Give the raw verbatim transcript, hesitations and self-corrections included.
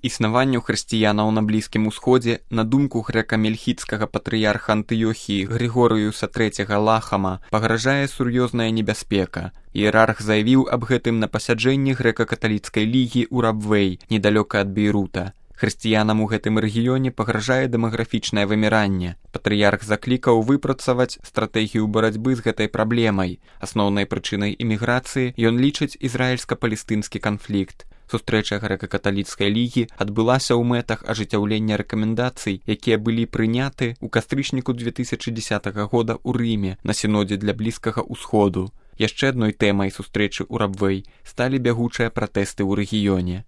Існаванню хрысціянаў на Блізкім Усходзе, на думку грэка-мельхіцкага патрыярха Антыёхіі Григорыюса трэцяга Лахама, пагражае сур'ёзная небяспека. Іерарх заявіў аб гэтым на пасяджэнні грэка-каталіцкай лігі ў Рабвэй, недалёка ад Бейрута. Хрысціянам у гэтым рэгіёне пагражае дэмаграфічнае выміранне. Патрыярх заклікаў выпрацаваць стратэгію барацьбы з гэтай праблемай. Асноўнай прычынай іміграцыі ён лічыць ізраільска-палестынскі канфлікт. Сустрэча грэка-каталіцкай лігі адбылася ў мэтах ажыццяўлення рэкамендацый, якія былі прыняты ў кастрычніку две тысячы дзесятага года ў Рыме на сінодзе для Блізкага Усходу. Яшчэ адной тэмай сустрэчы ў Рабвэй сталі бягучыя пратэсты ў рэгіёне.